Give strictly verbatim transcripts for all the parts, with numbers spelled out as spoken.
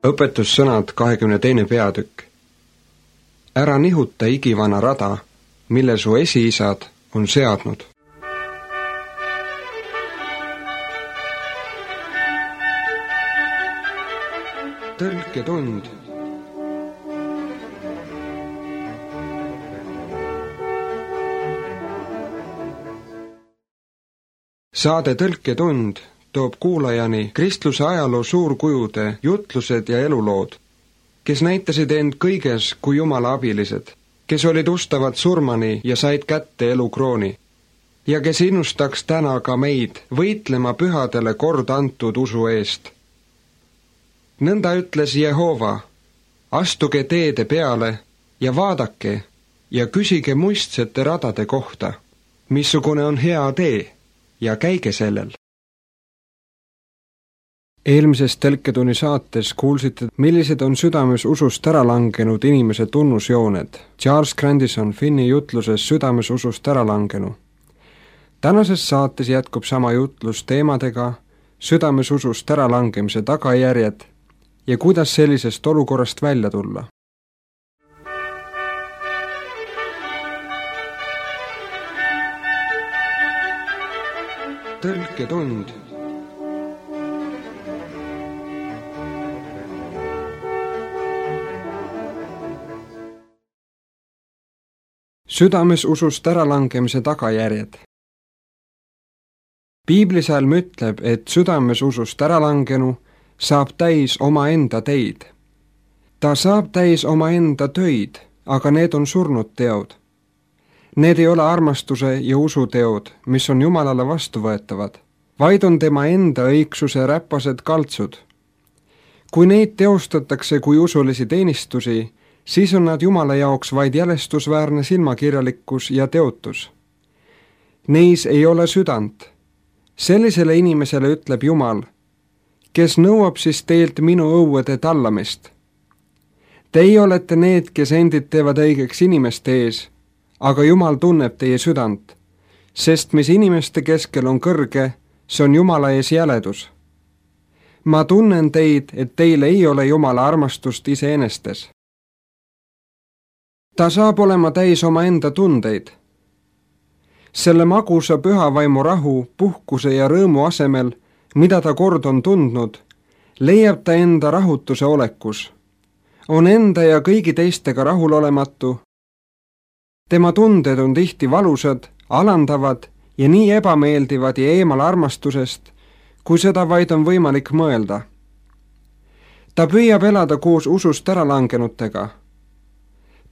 Õpetussõnad kahekümne teine peatükk. Ära nihuta igivana rada, mille su esiisad on seadnud. Tõlketund. Saade Tõlketund toob kuulajani kristluse ajaloo suurkujude jutlused ja elulood, kes näitasid end kõiges kui Jumala abilised, kes olid ustavad surmani ja said kätte elukrooni, ja kes innustaks täna ka meid võitlema pühadele kord antud usu eest. Nõnda ütles Jehova, astuge teede peale ja vaadake ja küsige muistsete radade kohta, missugune on hea tee, ja käige sellel. Eelmises Tõlketunni saates kuulsite, millised on südames usust ära langenud inimese tunnusjooned. Charles Grandison Finni jutluses Südames usust ära langenu. Tänases saates jätkub sama jutlus teemadega südames usust ära langemise tagajärjed ja kuidas sellisest olukorrast välja tulla. Tõlketund. Südames usust äralangemise tagajärjed. Piiblisalm ütleb, et südames usust äralangenu saab täis oma enda teid. Ta saab täis oma enda töid, aga need on surnud teod. Need ei ole armastuse ja usuteod, mis on Jumalale vastuvõetavad, vaid on tema enda õigsuse räpased kaltsud. Kui neid teostatakse kui usulisi teenistusi, siis on nad Jumala jaoks vaid jälestusväärne silmakirjalikkus ja teotus. Neis ei ole südant. Sellisele inimesele ütleb Jumal, kes nõuab siis teilt minu õuede tallamist. Teie olete need, kes endid teevad õigeks inimeste ees, aga Jumal tunneb teie südant, sest mis inimeste keskel on kõrge, see on Jumala ees jäledus. Ma tunnen teid, et teil ei ole Jumala armastust iseenestes. Ta saab olema täis oma enda tundeid. Selle magusa püha vaimu rahu, puhkuse ja rõõmu asemel, mida ta kord on tundnud, leiab ta enda rahutuse olekus. On enda ja kõigi teistega rahulolematu. Tema tunded on tihti valusad, alandavad ja nii ebameeldivad ja eemal armastusest, kui seda vaid on võimalik mõelda. Ta püüab elada koos usust äralangenutega.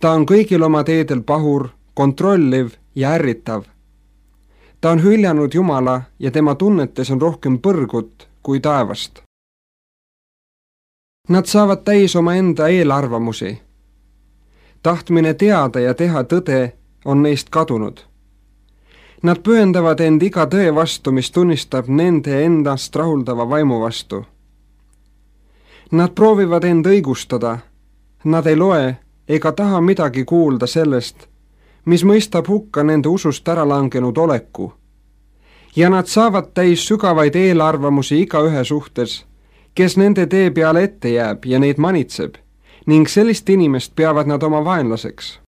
Ta on kõigil oma teedel pahur, kontrolliv ja ärritav. Ta on hüljanud Jumala ja tema tunnetes on rohkem põrgut kui taevast. Nad saavad täis oma enda eelarvamusi. Tahtmine teada ja teha tõde on neist kadunud. Nad pühendavad end iga tõe vastu, mis tunnistab nende endast rahuldava vaimu vastu. Nad proovivad end õigustada. Nad ei loe ega taha midagi kuulda sellest, mis mõistab hukka nende usust ära langenud oleku. Ja nad saavad täis sügavaid eelarvamusi iga ühe suhtes, kes nende tee peale ette jääb ja neid manitseb, ning sellist inimest peavad nad oma vaenlaseks.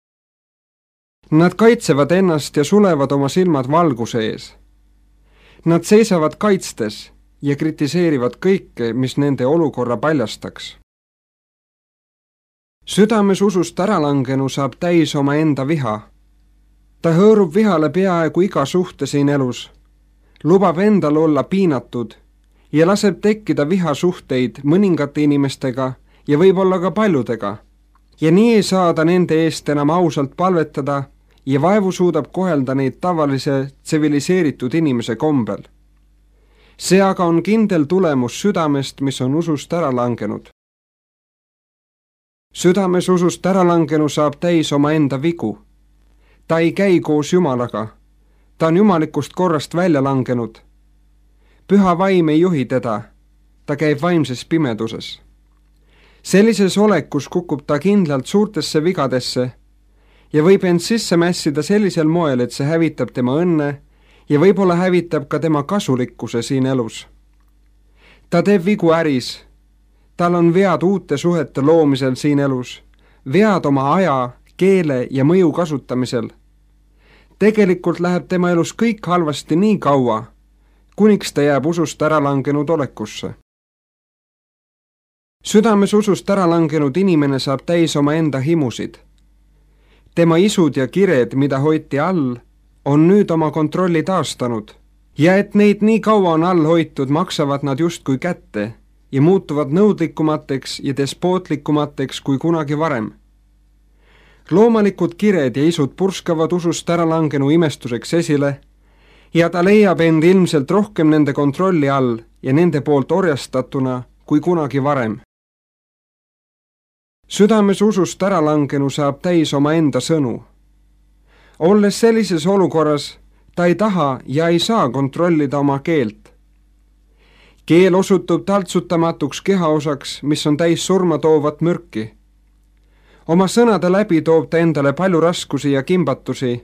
Nad kaitsevad ennast ja sulevad oma silmad valguse ees. Nad seisavad kaitstes ja kritiseerivad kõike, mis nende olukorra paljastaks. Südames usust äralangenu saab täis oma enda viha. Ta hõõrub vihale peaaegu iga suhte siin elus, lubab endal olla piinatud ja laseb tekkida vihasuhteid mõningate inimestega ja võib-olla ka paljudega. Ja nii ei saa ta nende eest enam ausalt palvetada ja vaevu suudab kohelda neid tavalise tsiviliseeritud inimese kombel. See aga on kindel tulemus südamest, mis on usust ära langenud. Südames usust äralangenu saab täis oma enda vigu. Ta ei käi koos Jumalaga. Ta on jumalikust korrast välja langenud. Püha vaim ei juhi teda. Ta käib vaimses pimeduses. Sellises olekus kukub ta kindlalt suurtesse vigadesse ja võib end sisse mässida sellisel moel, et see hävitab tema õnne ja võib-olla hävitab ka tema kasulikkuse siin elus. Ta teeb vigu äris. tal on vead uute suhete loomisel siin elus, vead oma aja, keele ja mõju kasutamisel. Tegelikult läheb tema elus kõik halvasti nii kaua, kuniks ta jääb usust ära langenud olekusse. Südames usust ära langenud inimene saab täis oma enda himusid. Tema isud ja kired, mida hoiti all, on nüüd oma kontrolli taastanud ja et neid nii kaua on all hoitud, maksavad nad justkui kätte ja muutuvad nõudlikumateks ja despootlikumateks kui kunagi varem. Loomalikud kired ja isud purskavad usust ära langenu imestuseks esile ja ta leiab end ilmselt rohkem nende kontrolli all ja nende poolt orjastatuna kui kunagi varem. Südames usust ära langenu saab täis oma enda sõnu. Olles sellises olukorras, ta ei taha ja ei saa kontrollida oma keelt. Keel osutub taltsutamatuks kehaosaks, mis on täis surma toovat mürki. Oma sõnade läbi toob ta endale palju raskusi ja kimbatusi,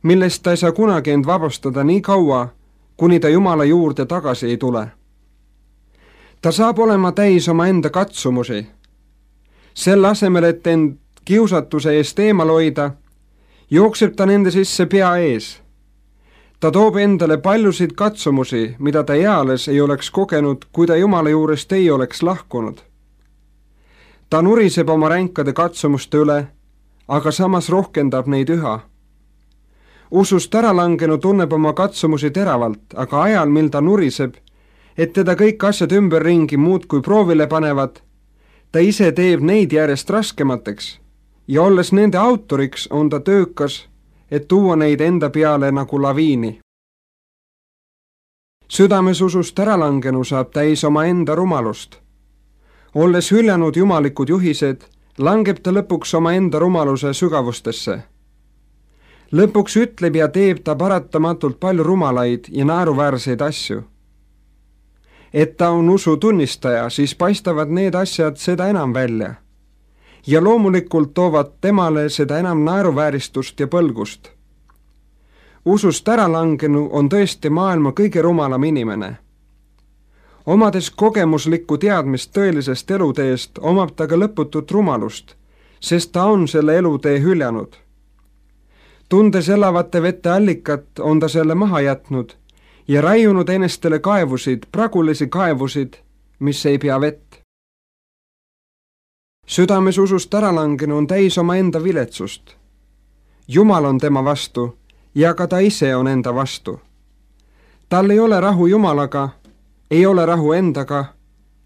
millest ta ei saa kunagi end vabastada nii kaua, kuni ta Jumala juurde tagasi ei tule. Ta saab olema täis oma enda katsumusi. Sel asemel, et end kiusatuse eest eemal hoida, jookseb ta nende sisse pea ees. Ta toob endale paljusid katsumusi, mida ta eales ei oleks kogenud, kui ta Jumala juurest ei oleks lahkunud. Ta nuriseb oma ränkade katsumuste üle, aga samas rohkendab neid üha. Usust ära langenu tunneb oma katsumusi teravalt, aga ajal, mil ta nuriseb, et teda kõik asjad ümberringi muudkui proovile panevad, ta ise teeb neid järjest raskemateks ja olles nende autoriks, on ta töökas, et tuua neid enda peale nagu laviini. Südames usust ära langenu saab täis oma enda rumalust. Olles hüljanud jumalikud juhised, langeb ta lõpuks oma enda rumaluse sügavustesse. Lõpuks ütleb ja teeb ta paratamatult palju rumalaid ja naeruväärseid asju. Et ta on usu tunnistaja, siis paistavad need asjad seda enam välja. Ja loomulikult toovad temale seda enam naeruvääristust ja põlgust. Usust ära langenu on tõesti maailma kõige rumalam inimene. Omades kogemuslikku teadmist tõelisest eluteest, omab ta ka lõputut rumalust, sest ta on selle elutee hüljanud. Tundes elavate vette allikat, on ta selle maha jätnud ja raiunud enestele kaevusid, pragulisi kaevusid, mis ei pea vett. Südames usust ära langenu on täis oma enda viletsust. Jumal on tema vastu ja ka ta ise on enda vastu. Tal ei ole rahu Jumalaga, ei ole rahu endaga,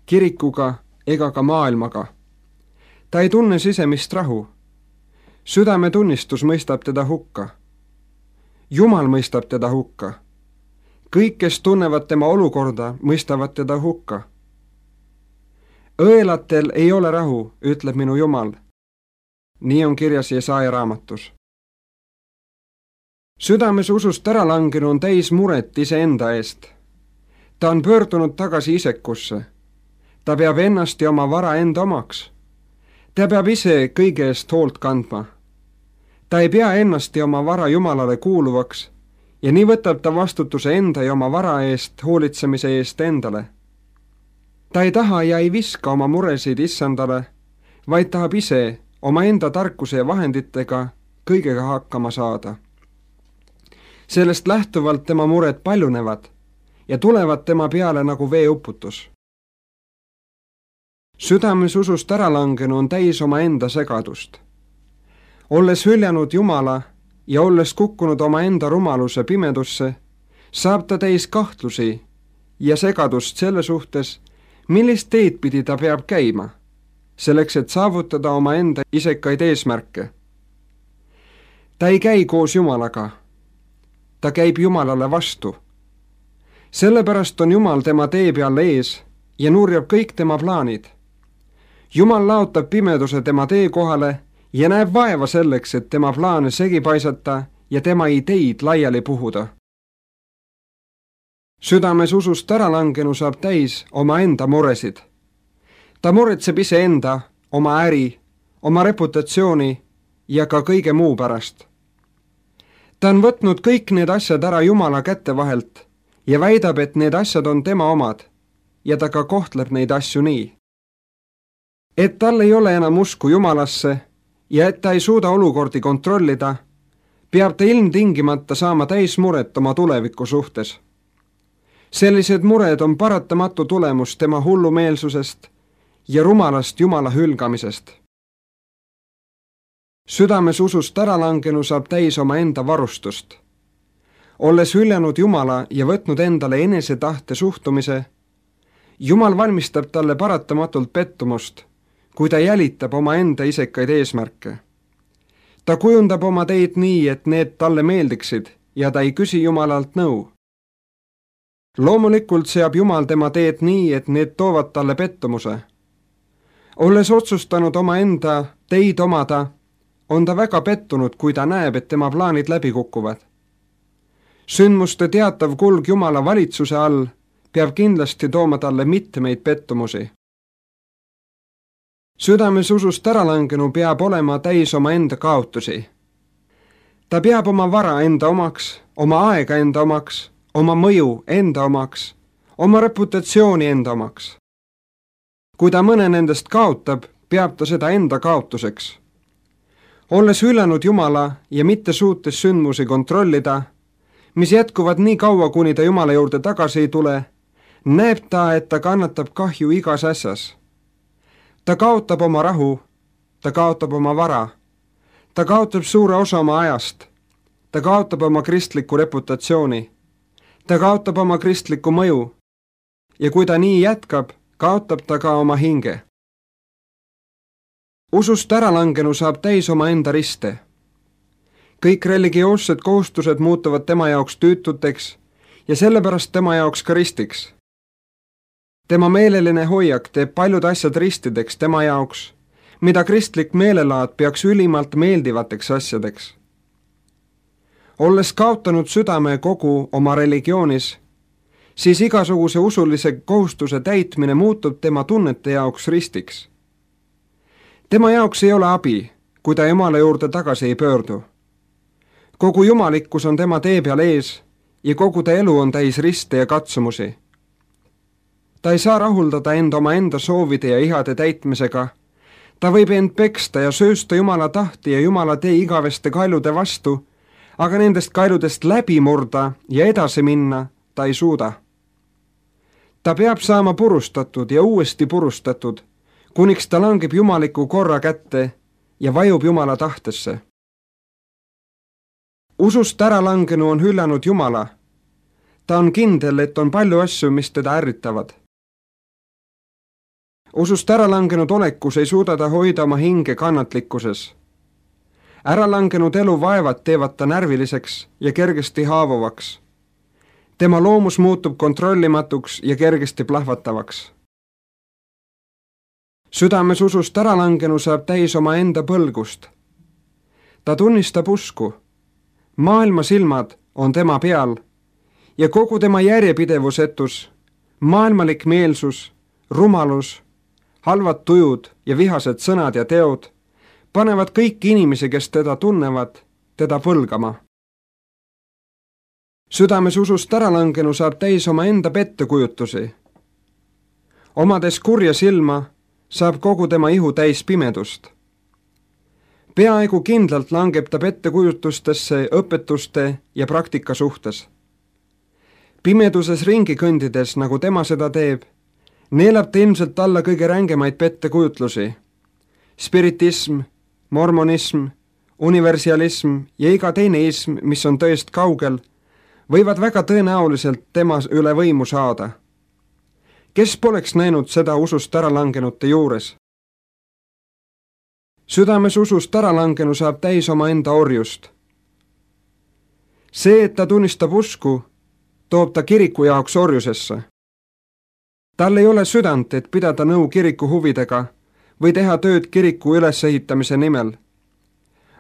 kirikuga ega ka maailmaga. Ta ei tunne sisemist rahu. Südame tunnistus mõistab teda hukka. Jumal mõistab teda hukka. Kõik, kes tunnevad tema olukorda, mõistavad teda hukka. Õelatel ei ole rahu, ütleb minu Jumal. Nii on kirjas Jesaja raamatus. Südames usust ära langenu on täis muret iseenda eest. Ta on pöördunud tagasi isekusse. Ta peab ennast ja oma vara enda omaks. Ta peab ise kõige eest hoolt kandma. Ta ei pea ennast ja oma vara Jumalale kuuluvaks ja nii võtab ta vastutuse enda ja oma vara eest hoolitsemise eest endale. Ta ei taha ja ei viska oma muresid issandale, vaid tahab ise oma enda tarkuse ja vahenditega kõigega hakkama saada. Sellest lähtuvalt tema mured paljunevad ja tulevad tema peale nagu veeuputus. Südames usust ära langenu on täis oma enda segadust. Olles hüljanud Jumala ja olles kukkunud oma enda rumaluse pimedusse, saab ta täis kahtlusi ja segadust selle suhtes, millist teed pidi ta peab käima, selleks et saavutada oma enda isekaid eesmärke. Ta ei käi koos Jumalaga, ta käib Jumalale vastu. Sellepärast on Jumal tema tee peal ees ja nurjab kõik tema plaanid. Jumal laotab pimeduse tema tee kohale ja näeb vaeva selleks, et tema plaane segi paisata ja tema ideid laiali puhuda. Südames usust ära langenu saab täis oma enda muresid. Ta muretseb iseenda, oma äri, oma reputatsiooni ja ka kõige muu pärast. Ta on võtnud kõik need asjad ära Jumala kätte vahelt ja väidab, et need asjad on tema omad ja ta ka kohtleb neid asju nii. et tal ei ole enam usku Jumalasse ja et ta ei suuda olukordi kontrollida, peab ta ilmtingimata saama täis muret oma tuleviku suhtes. Sellised mured on paratamatu tulemus tema hullumeelsusest ja rumalast Jumala hülgamisest. Südames usust äralangenu saab täis oma enda varustust. Olles hüljanud Jumala ja võtnud endale enese tahte suhtumise, Jumal valmistab talle paratamatult pettumust, kui ta jälitab oma enda isekaid eesmärke. Ta kujundab oma teid nii, et need talle meeldiksid ja ta ei küsi Jumalalt nõu. Loomulikult seab Jumal tema teed nii, et need toovad talle pettumuse. Olles otsustanud oma enda teid omada, on ta väga pettunud, kui ta näeb, et tema plaanid läbi kukuvad. Sündmuste teatav kulg Jumala valitsuse all peab kindlasti tooma talle mitmeid pettumusi. Südames usust äralangenu peab olema täis oma enda kaotusi. Ta peab oma vara enda omaks, oma aega enda omaks, oma mõju enda omaks, oma reputatsiooni enda omaks. Kui ta mõne nendest kaotab, peab ta seda enda kaotuseks. Olles hüljanud Jumala ja mitte suutes sündmusi kontrollida, mis jätkuvad nii kaua, kuni ta Jumala juurde tagasi ei tule, näeb ta, et ta kannatab kahju igas asjas. Ta kaotab oma rahu, ta kaotab oma vara, ta kaotab suure osa oma ajast, ta kaotab oma kristliku reputatsiooni, ta kaotab oma kristliku mõju ja kui ta nii jätkab, kaotab ta ka oma hinge. Usust äralangenu saab täis oma enda riste. Kõik religioossed kohustused muutuvad tema jaoks tüütuteks ja sellepärast tema jaoks ka ristiks. Tema meeleline hoiak teeb paljud asjad ristideks tema jaoks, mida kristlik meelelaad peaks ülimalt meeldivateks asjadeks. Olles kaotanud südame kogu oma religioonis, siis igasuguse usulise kohustuse täitmine muutub tema tunnete jaoks ristiks. Tema jaoks ei ole abi, kui ta Jumala juurde tagasi ei pöördu. Kogu jumalikkus on tema tee peal ees ja kogu ta elu on täis riste ja katsumusi. Ta ei saa rahuldada end oma enda soovide ja ihade täitmisega. Ta võib end peksta ja söösta Jumala tahti ja Jumala tee igaveste kailude vastu, aga nendest kailudest läbi murda ja edasi minna ta ei suuda. Ta peab saama purustatud ja uuesti purustatud, kuniks ta langeb jumaliku korra kätte ja vajub Jumala tahtesse. Usust äralangenu on hüljanud Jumala. Ta on kindel, et on palju asju, mis teda ärritavad. Usust äralangenud olekus ei suuda ta hoida oma hinge kannatlikkuses. Äralangenud elu vaevad teevad ta närviliseks ja kergesti haavuvaks. Tema loomus muutub kontrollimatuks ja kergesti plahvatavaks. Südames usust äralangenu saab täis oma enda põlgust. Ta tunnistab usku. Maailma silmad on tema peal ja kogu tema järjepidevusetus, maailmalik meelsus, rumalus, halvad tujud ja vihased sõnad ja teod panevad kõiki inimesi, kes teda tunnevad, teda põlgama. Südames usust äralangenu saab täis oma enda pettekujutusi. Omades kurja silma saab kogu tema ihu täis pimedust. Peaaegu kindlalt langeb ta pettekujutustesse õpetuste ja praktika suhtes. Pimeduses ringi kõndides, nagu tema seda teeb, neelab ta ilmselt alla kõige rängemaid pettekujutlusi. Spiritism, mormonism, universalism ja iga teine ism, mis on tõest kaugel, võivad väga tõenäoliselt tema üle võimu saada. Kes poleks näinud seda usust äralangenute juures? Südames usust äralangenu saab täis oma enda orjust. See, et ta tunnistab usku, toob ta kiriku jaoks orjusesse. Tal ei ole südant, et pidada nõu kiriku huvidega või teha tööd kiriku ülesehitamise nimel.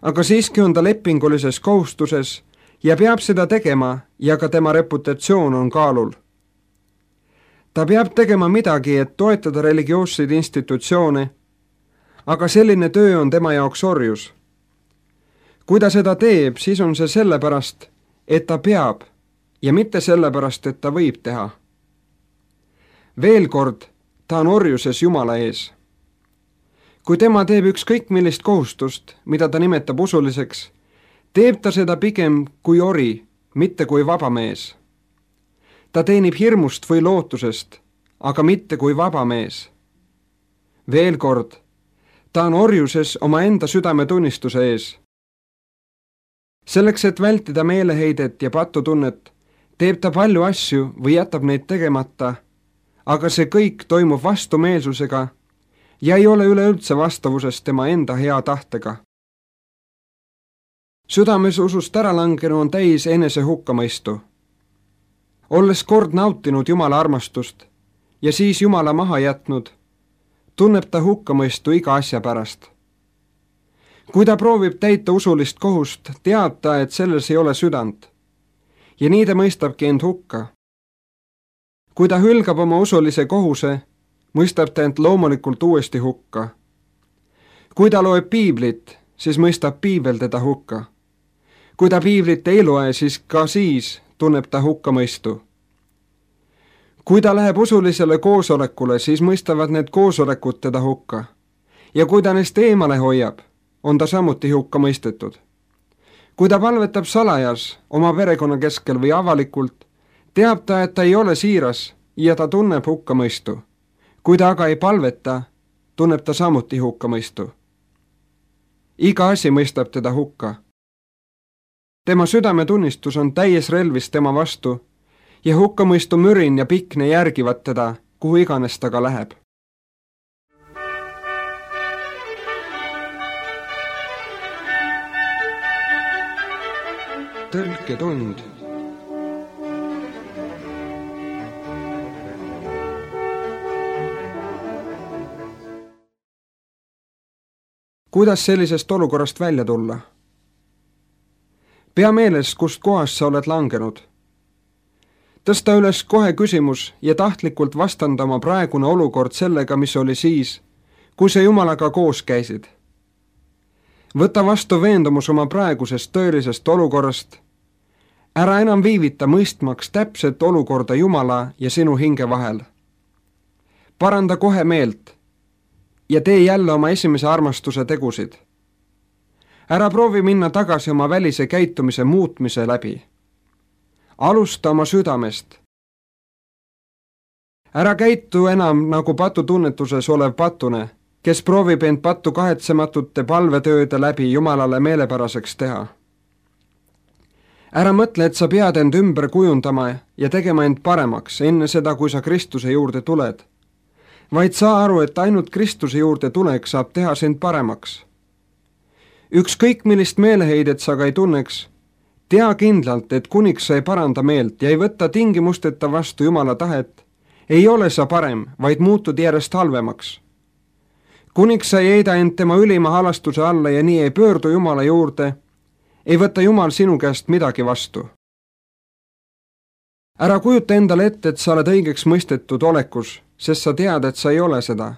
Aga siiski on ta lepingulises kohustuses ja peab seda tegema ja ka tema reputatsioon on kaalul. Ta peab tegema midagi, et toetada religioosseid institutsioone, aga selline töö on tema jaoks orjus. Kui ta seda teeb, siis on see sellepärast, et ta peab ja mitte sellepärast, et ta võib teha. Veel kord, ta on orjuses Jumala ees. Kui tema teeb ükskõik millist kohustust, mida ta nimetab usuliseks, teeb ta seda pigem kui ori, mitte kui vaba mees. Ta teenib hirmust või lootusest, aga mitte kui vaba mees. Veel kord, ta on orjuses oma enda südametunnistuse ees. Selleks, et vältida meeleheidet ja patutunnet, teeb ta palju asju või jätab neid tegemata, aga see kõik toimub vastumeelsusega ja ei ole üleüldse vastavuses tema enda hea tahtega. Südames usust äralangenu on täis enese hukkamõistu. Olles kord nautinud Jumala armastust ja siis Jumala maha jätnud, tunneb ta hukkamõistu iga asja pärast. Kui ta proovib täita usulist kohust, teab ta, et selles ei ole südant. Ja nii ta mõistabki end hukka. Kui ta hülgab oma usulise kohuse, mõistab ta end loomulikult uuesti hukka. Kui ta loeb piiblit, siis mõistab piibel teda hukka. Kui ta piiblit ei loe, siis ka siis tunneb ta hukkamõistu. Kui ta läheb usulisele koosolekule, siis mõistavad need koosolekud teda hukka. Ja kui ta neist eemale hoiab, on ta samuti hukka mõistetud. Kui ta palvetab salajas, oma perekonna keskel või avalikult, teab ta, et ta ei ole siiras ja ta tunneb hukkamõistu. Kui ta aga ei palveta, tunneb ta samuti hukkamõistu. Iga asi mõistab teda hukka. Tema südametunnistus on täies relvis tema vastu ja hukkamõistu mürin ja pikne järgivad teda, kuhu iganes ta ka läheb. Tõlketund. Kuidas sellisest olukorrast välja tulla? Pea meeles, kust kohast sa oled langenud. Tõsta üles kohe küsimus ja tahtlikult vastanda oma praegune olukord sellega, mis oli siis, kui sa Jumalaga koos käisid. Võta vastu veendumus oma praegusest tõelisest olukorrast. Ära enam viivita mõistmaks täpset olukorda Jumala ja sinu hinge vahel. Paranda kohe meelt ja tee jälle oma esimese armastuse tegusid. Ära proovi minna tagasi oma välise käitumise muutmise läbi. Alusta oma südamest. Ära käitu enam nagu patutunnetuses olev patune, kes proovib end pattu kahetsematute palvetööde läbi Jumalale meelepäraseks teha. Ära mõtle, et sa pead end ümber kujundama ja tegema end paremaks enne seda, kui sa Kristuse juurde tuled. Vaid saa aru, et ainult Kristuse juurde tulek saab teha sind paremaks. Ükskõik millist meeleheidet sa ka ei tunneks, tea kindlalt, et kuniks sa ei paranda meelt ja ei võtta tingimusteta vastu Jumala tahet, ei ole sa parem, vaid muutud järjest halvemaks. Kuniks sa ei heida end tema ülima halastuse alla ja nii ei pöördu Jumala juurde, ei võta Jumal sinu käest midagi vastu. Ära kujuta endale ette, et sa oled õigeks mõistetud olekus, sest sa tead, et sa ei ole seda.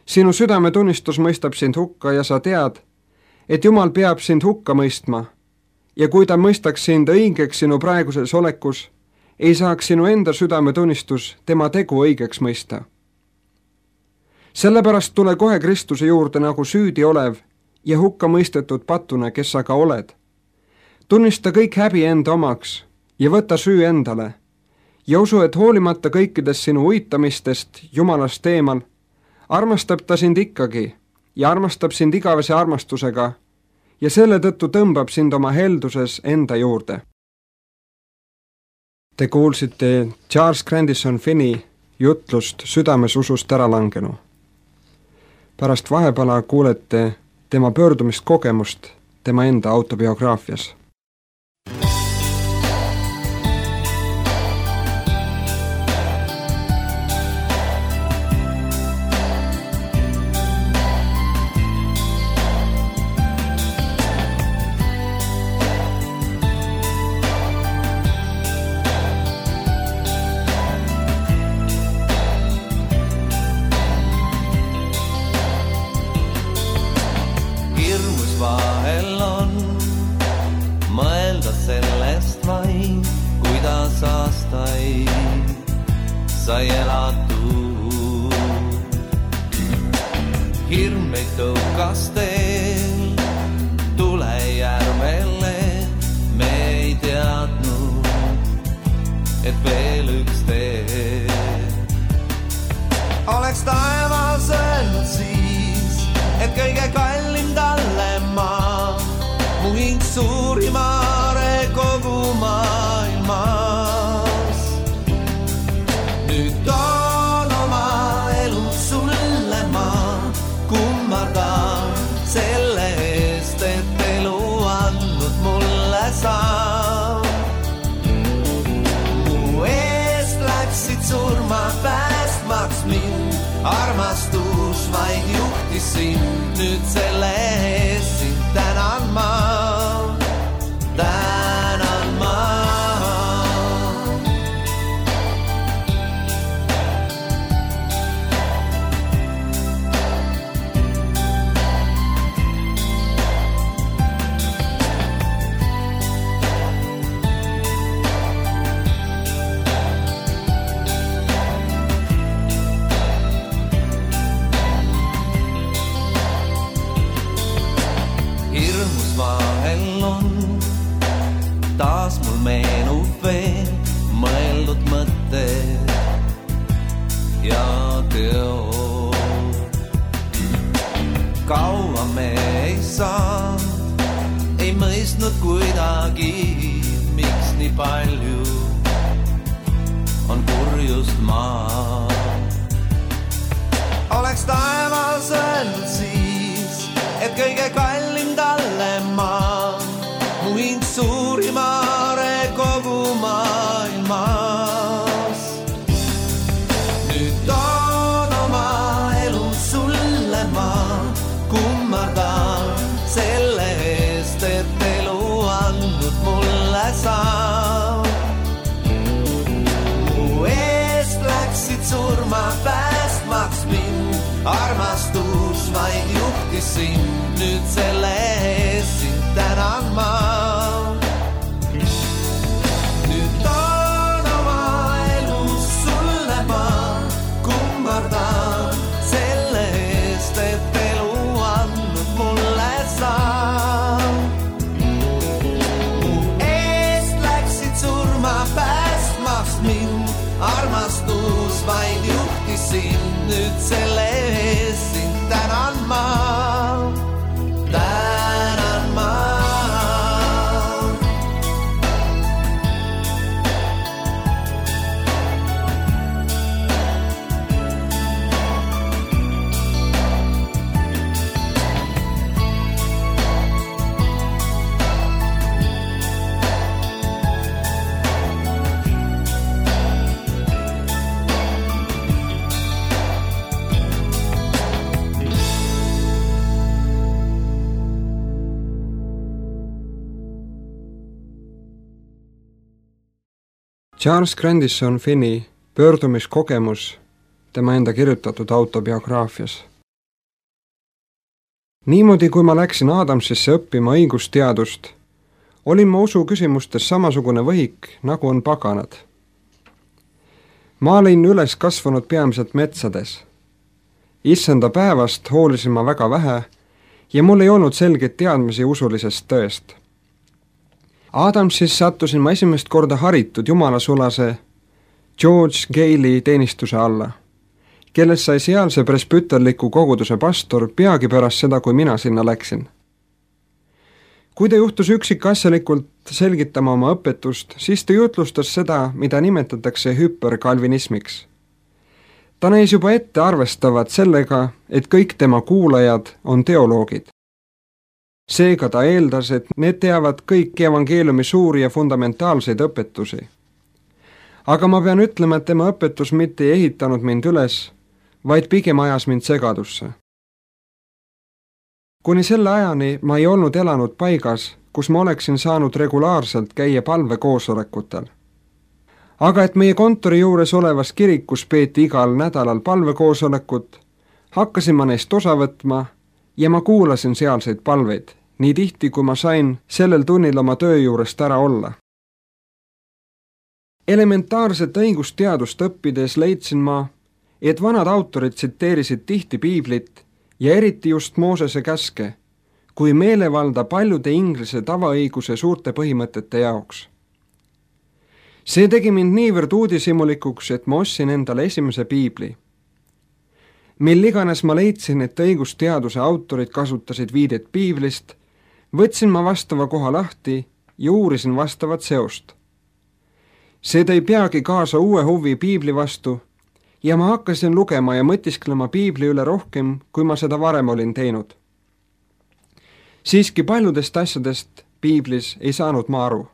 Sinu südametunnistus mõistab sind hukka ja sa tead, et Jumal peab sind hukka mõistma ja kui ta mõistaks sind õigeks sinu praeguses olekus, ei saaks sinu enda südametunnistus tema tegu õigeks mõista. Sellepärast tule kohe Kristuse juurde nagu süüdi olev ja hukka mõistetud patune, kes sa ka oled. Tunnista kõik häbi enda omaks ja võta süü endale ja usu, et hoolimata kõikidest sinu uitamistest Jumalast eemal, armastab ta sind ikkagi ja armastab sind igavese armastusega ja selle tõttu tõmbab sind oma helduses enda juurde. Te kuulsite Charles Grandison Finney jutlust Südames usust äralangenu. Pärast vahepala kuulete tema pöördumist kogemust tema enda autobiograafias. Vahel on mõelda sellest vaid, kuidas aastaid sai elatud. Hirm meid tõukas teel tulejärvele. Me ei teadnud, et veel üks tee. Oleks taevas öelnud siis, et kõige kallim talle maa, mu hing suurimaare kogu maailmas. Nüüd toon oma elu sulle ma kummardan selle eest, et elu andnud mulle saa. Mu eest läksid surma päästmaks mind, armastus vaid juhtis sind, nüüd selle eest sind tänan ma, tänan ma. Hirmus vahel on, taas mul meenub veel mõeldud mõtted ja teod. Kaua me ei saanud, ei mõistnud kuidagi, miks nii palju on kurjust maa. Oleks taevas öelnud siis, et kõige kallim talle maa, mu hing suurimaare kogu maailmas. Nüüd toon oma elu sulle ma kummardan selle eest, et elu andnud mulle saa. Mu eest läksid surma päästmaks mind, armastus vaid juhtis sind, nüüd selle eest sind tänan ma. Nüüd toon oma elu sulle ma kummardan selle eest, et elu andnud mulle saa. Mu eest läksid surma päästmaks mind, armastus vaid juhtis sind, nüüd selle eest sind tänan ma, tänan ma. Charles Grandison Finney pöördumiskogemus tema enda kirjutatud autobiograafias. Niimoodi, kui ma läksin Adamsisse õppima õigusteadust, olin ma usu küsimustes samasugune võhik, nagu on paganad. Ma olin üles kasvanud peamiselt metsades. Issanda päevast hoolisin ma väga vähe ja mul ei olnud selgeid teadmisi usulisest tõest. Adamsis sattusin ma esimest korda haritud jumalasulase George Gale'i teenistuse alla, kellest sai sealse presbüterliku koguduse pastor peagi pärast seda, kui mina sinna läksin. Kui ta juhtus üksikasjalikult selgitama oma õpetust, siis ta jutlustas seda, mida nimetatakse hüperkalvinismiks. Ta näis juba ette arvestavad sellega, et kõik tema kuulajad on teoloogid. Seega ta eeldas, et need teavad kõik evangeeliumi suuri ja fundamentaalseid õpetusi. Aga ma pean ütlema, et tema õpetus mitte ei ehitanud mind üles, vaid pigem ajas mind segadusse. Kuni selle ajani ma ei olnud elanud paigas, kus ma oleksin saanud regulaarselt käia palvekoosolekutel. Aga et meie kontori juures olevas kirikus peeti igal nädalal palvekoosolekut, hakkasin ma neist osa võtma ja ma kuulasin sealseid palveid, nii tihti, kui ma sain sellel tunnil oma töö juurest ära olla. Elementaarset õigusteadust õppides leidsin ma, et vanad autorid tsiteerisid tihti piiblit ja eriti just Moosese käske, kui meelevalda paljude Inglise tavaõiguse suurte põhimõtete jaoks. See tegi mind niivõrd uudishimulikuks, et ma ostsin endale esimese piibli. Mil iganes ma leidsin, et õigusteaduse autorid kasutasid viidet piiblist, võtsin ma vastava koha lahti ja uurisin vastavat seost. See tõi peagi kaasa uue huvi piibli vastu ja ma hakkasin lugema ja mõtisklema piibli üle rohkem, kui ma seda varem olin teinud. Siiski paljudest asjadest piiblis ei saanud ma aru.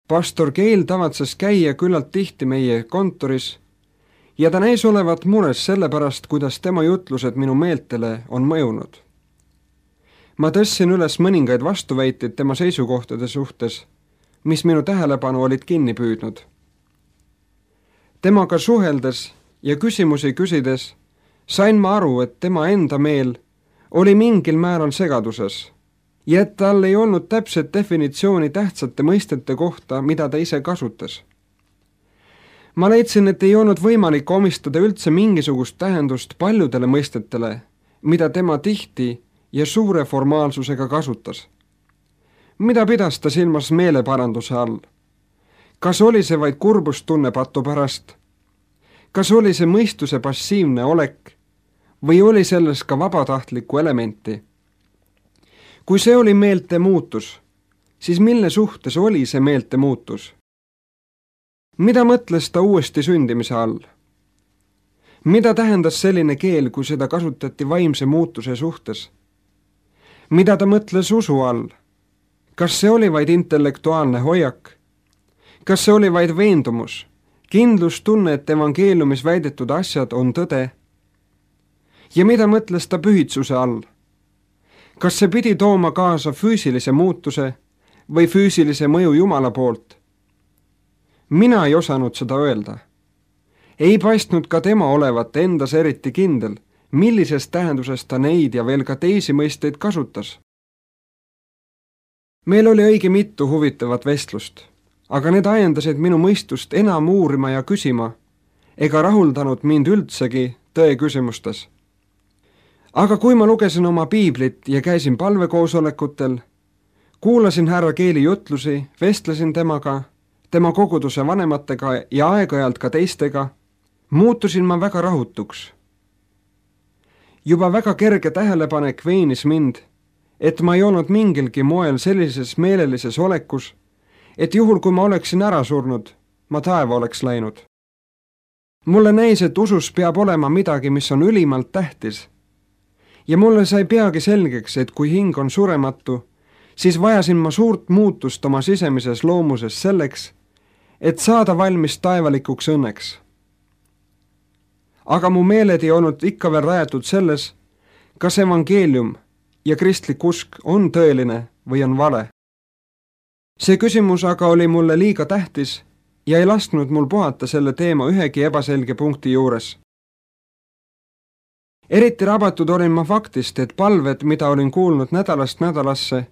Pastor Keel tavatses käia küllalt tihti meie kontoris ja ta näis olevat mures selle pärast, kuidas tema jutlused minu meeltele on mõjunud. Ma tõstsin üles mõningaid vastuväiteid tema seisukohtade suhtes, mis minu tähelepanu olid kinni püüdnud. Temaga suheldes ja küsimusi küsides sain ma aru, et tema enda meel oli mingil määral segaduses ja et tal ei olnud täpset definitsiooni tähtsate mõistete kohta, mida ta ise kasutas. Ma leidsin, et ei olnud võimalik omistada üldse mingisugust tähendust paljudele mõistetele, mida tema tihti ja suure formaalsusega kasutas. Mida pidas ta silmas meeleparanduse all? Kas oli see vaid kurbustunne patu pärast? Kas oli see mõistuse passiivne olek või oli selles ka vabatahtlikku elementi? Kui see oli meelte muutus, siis mille suhtes oli see meelte muutus? Mida mõtles ta uuesti sündimise all? Mida tähendas selline keel, kui seda kasutati vaimse muutuse suhtes? Mida ta mõtles usu all? Kas see oli vaid intellektuaalne hoiak? Kas see oli vaid veendumus, kindlustunne, et evangeeliumis väidetud asjad on tõde? Ja mida mõtles ta pühitsuse all? Kas see pidi tooma kaasa füüsilise muutuse või füüsilise mõju Jumala poolt? Mina ei osanud seda öelda. Ei paistnud ka tema olevat endas eriti kindel, millises tähenduses ta neid ja veel ka teisi mõisteid kasutas. Meil oli õige mitu huvitavat vestlust, aga need ajendasid minu mõistust enam uurima ja küsima, ega rahuldanud mind üldsegi tõe küsimustes. Aga kui ma lugesin oma piiblit ja käisin palvekoosolekutel, kuulasin härra Keeli jutlusi, vestlesin temaga, tema koguduse vanematega ja aeg-ajalt ka teistega, muutusin ma väga rahutuks. Juba väga kerge tähelepanek veenis mind, et ma ei olnud mingilgi moel sellises meelelises olekus, et juhul kui ma oleksin ära surnud, ma taeva oleks läinud. Mulle näis, et usus peab olema midagi, mis on ülimalt tähtis. Ja mulle sai peagi selgeks, et kui hing on surematu, siis vajasin ma suurt muutust oma sisemises loomuses selleks, et saada valmis taevalikuks õnneks. Aga mu meeled ei olnud ikka veel rajatud selles, kas evangeelium ja kristlik usk on tõeline või on vale. See küsimus aga oli mulle liiga tähtis ja ei lasknud mul puhata selle teema ühegi ebaselge punkti juures. Eriti rabatud olin ma faktist, et palved, mida olin kuulnud nädalast nädalasse,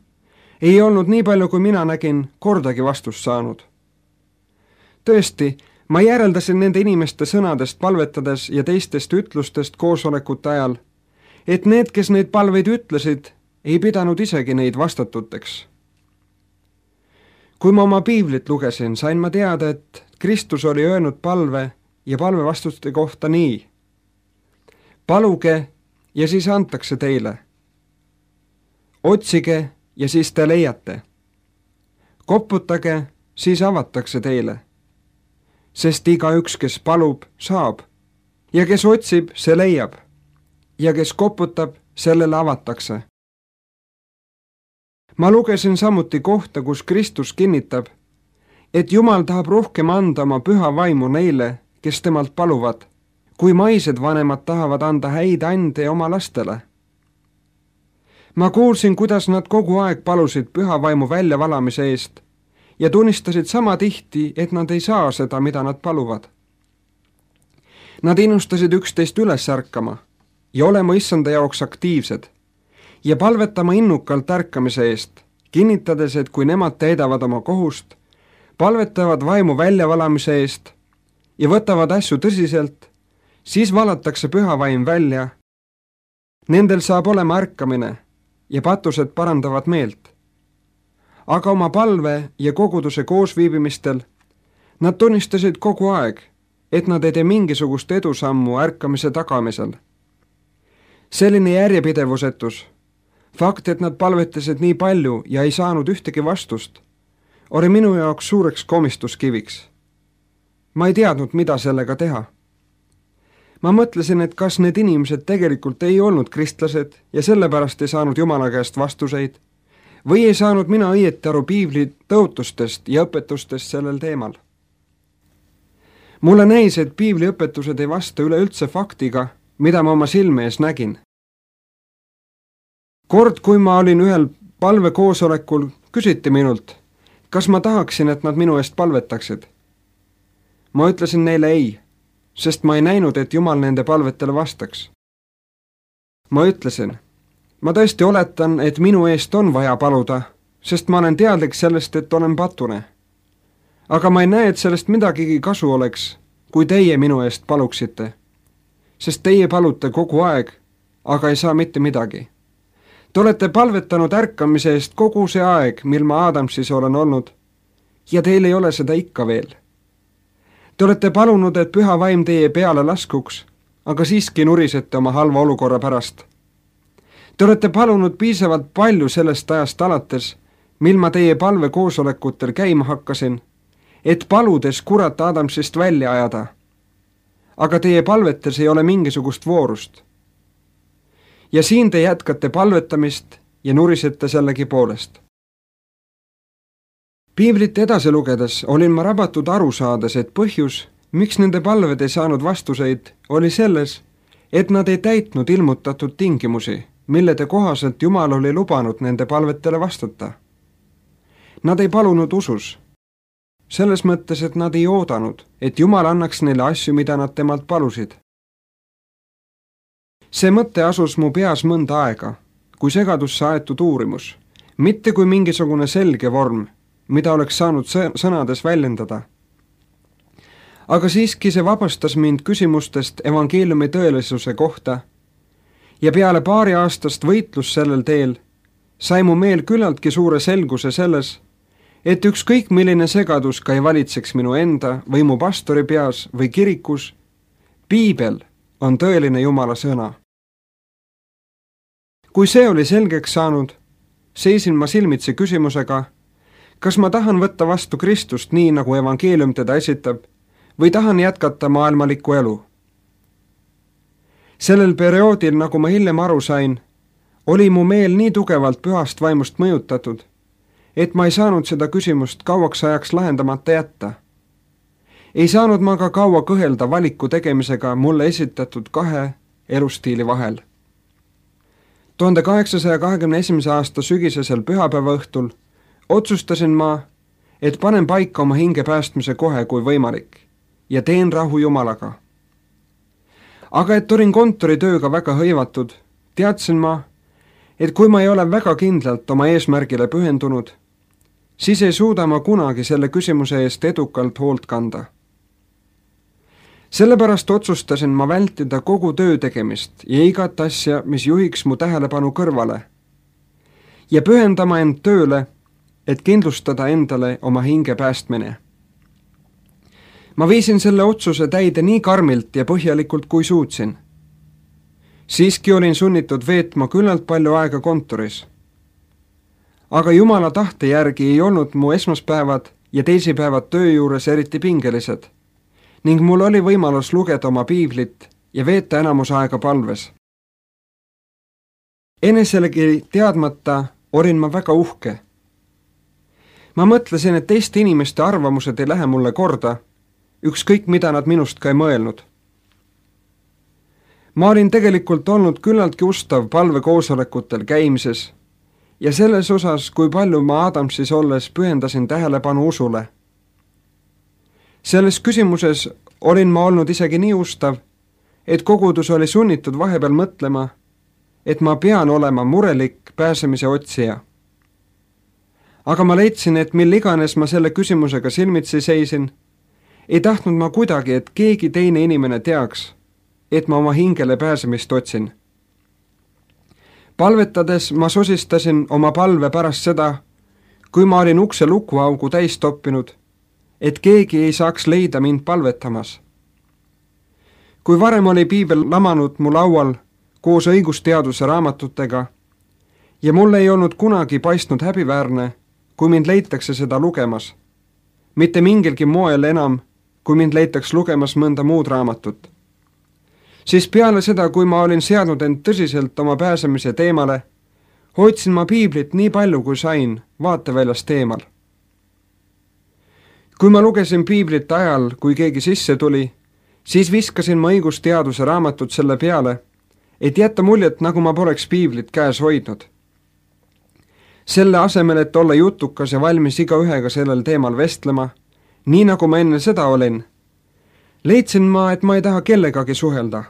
ei olnud nii palju, kui mina nägin, kordagi vastust saanud. Tõesti, ma järeldasin nende inimeste sõnadest palvetades ja teistest ütlustest koosolekute ajal, et need, kes neid palveid ütlesid, ei pidanud isegi neid vastatuteks. Kui ma oma piiblit lugesin, sain ma teada, et Kristus oli öelnud palve ja palvevastuste kohta nii. Paluge ja siis antakse teile. Otsige ja siis te leiate. Koputage, siis avatakse teile. Sest igaüks, kes palub, saab. Ja kes otsib, see leiab. Ja kes koputab, sellele avatakse. Ma lugesin samuti kohta, kus Kristus kinnitab, et Jumal tahab rohkem anda oma püha vaimu neile, kes temalt paluvad, kui maised vanemad tahavad anda häid ande oma lastele. Ma kuulsin, kuidas nad kogu aeg palusid püha vaimu väljavalamise eest ja tunnistasid sama tihti, et nad ei saa seda, mida nad paluvad. Nad innustasid üksteist üles ärkama ja olema issanda jaoks aktiivsed ja palvetama innukalt ärkamise eest, kinnitades, et kui nemad täidavad oma kohust, palvetavad vaimu väljavalamise eest ja võtavad asju tõsiselt, siis valatakse püha vaim välja Nendel saab olema ärkamine ja patused parandavad meelt. Aga oma palve ja koguduse koosviibimistel nad tunnistasid kogu aeg, et nad ei tee mingisugust edusammu ärkamise tagamisel. Selline järjepidevusetus, fakt, et nad palvetasid nii palju ja ei saanud ühtegi vastust, oli minu jaoks suureks komistuskiviks. Ma ei teadnud, mida sellega teha. Ma mõtlesin, et kas need inimesed tegelikult ei olnud kristlased ja sellepärast ei saanud Jumala käest vastuseid, või ei saanud mina õieti aru piibli tõotustest ja õpetustest sellel teemal. Mulle näis, et piibli õpetused ei vasta üleüldse faktiga, mida ma oma silme ees nägin. Kord, kui ma olin ühel palvekoosolekul, küsiti minult, kas ma tahaksin, et nad minu eest palvetaksid. Ma ütlesin neile ei, sest ma ei näinud, et Jumal nende palvetele vastaks. Ma ütlesin, ma tõesti oletan, et minu eest on vaja paluda, sest ma olen teadlik sellest, et olen patune. Aga ma ei näe, et sellest midagigi kasu oleks, kui teie minu eest paluksite, sest teie palute kogu aeg, aga ei saa mitte midagi. Te olete palvetanud ärkamise eest kogu see aeg, mil ma Adamsis olen olnud, ja teil ei ole seda ikka veel. Te olete palunud, et püha vaim teie peale laskuks, aga siiski nurisete oma halva olukorra pärast. Te olete palunud piisavalt palju sellest ajast alates, mil ma teie palvekoosolekutel käima hakkasin, et paludes kurat Adamsist välja ajada. Aga teie palvetes ei ole mingisugust voorust. Ja siin te jätkate palvetamist ja nurisete sellegi poolest. Piiblit edasi lugedes olin ma rabatud aru saades, et põhjus, miks nende palved ei saanud vastuseid, oli selles, et nad ei täitnud ilmutatud tingimusi, millede kohaselt Jumal oli lubanud nende palvetele vastata. Nad ei palunud usus. Selles mõttes, et nad ei oodanud, et Jumal annaks neile asju, mida nad temalt palusid. See mõte asus mu peas mõnda aega, kui segadusse aetud uurimus, mitte kui mingisugune selge vorm, mida oleks saanud sõnades väljendada. Aga siiski see vabastas mind küsimustest evangeeliumi tõelisuse kohta ja peale paari aastast võitlus sellel teel sai mu meel küllaltki suure selguse selles, et ükskõik milline segadus ka ei valitseks minu enda või mu pastori peas või kirikus, piibel on tõeline Jumala sõna. Kui see oli selgeks saanud, seisin ma silmitsi küsimusega, kas ma tahan võtta vastu Kristust nii, nagu evangeelium teda esitab, või tahan jätkata maailmalikku elu. Sellel perioodil, nagu ma hiljem aru sain, oli mu meel nii tugevalt pühast vaimust mõjutatud, et ma ei saanud seda küsimust kauaks ajaks lahendamata jätta. Ei saanud ma ka kaua kõhelda valiku tegemisega mulle esitatud kahe elustiili vahel. tuhande kaheksasaja kahekümne esimese aasta sügisesel pühapäeva õhtul otsustasin ma, et panen paika oma hinge päästmise kohe, kui võimalik, ja teen rahu Jumalaga. Aga et olin kontoritööga väga hõivatud, teadsin ma, et kui ma ei ole väga kindlalt oma eesmärgile pühendunud, siis ei suuda ma kunagi selle küsimuse eest edukalt hoolt kanda. Sellepärast otsustasin ma vältida kogu töö tegemist ja igat asja, mis juhiks mu tähelepanu kõrvale, ja pühendama end tööle, et kindlustada endale oma hinge päästmine. Ma viisin selle otsuse täide nii karmilt ja põhjalikult, kui suutsin. Siiski olin sunnitud veetma küllalt palju aega kontoris. Aga Jumala tahte järgi ei olnud mu esmaspäevad ja teisipäevad töö juures eriti pingelised, ning mul oli võimalus lugeda oma piiblit ja veeta enamus aega palves. Eneselegi teadmata olin ma väga uhke. Ma mõtlesin, et teiste inimeste arvamused ei lähe mulle korda, ükskõik mida nad minust ka ei mõelnud. Ma olin tegelikult olnud küllaltki ustav palvekoosolekutel käimises ja selles osas, kui palju ma Adamsis olles pühendasin tähelepanu usule. Selles küsimuses olin ma olnud isegi nii ustav, et kogudus oli sunnitud vahepeal mõtlema, et ma pean olema murelik pääsemise otsija. Aga ma leidsin, et mil iganes ma selle küsimusega silmitsi seisin, ei tahtnud ma kuidagi, et keegi teine inimene teaks, et ma oma hingele pääsemist otsin. palvetades ma sosistasin oma palve pärast seda, kui ma olin ukse lukuaugu täis toppinud, et keegi ei saaks leida mind palvetamas. Kui varem oli piibel lamanud mu laual koos õigusteaduse raamatutega ja mul ei olnud kunagi paistnud häbiväärne, kui mind leitakse seda lugemas, mitte mingilgi moel enam, kui mind leitaks lugemas mõnda muud raamatut. Siis peale seda, kui ma olin seadnud end tõsiselt oma pääsemise teemale, hoidsin ma piiblit nii palju, kui sain vaateväljast eemal. Kui ma lugesin piiblit ajal, kui keegi sisse tuli, siis viskasin ma õigusteaduse raamatut selle peale, et jätta muljet, nagu ma poleks piiblit käes hoidnud. Selle asemel, et olla jutukas ja valmis igaühega sellel teemal vestlema, nii nagu ma enne seda olin, leidsin ma, et ma ei taha kellegagi suhelda.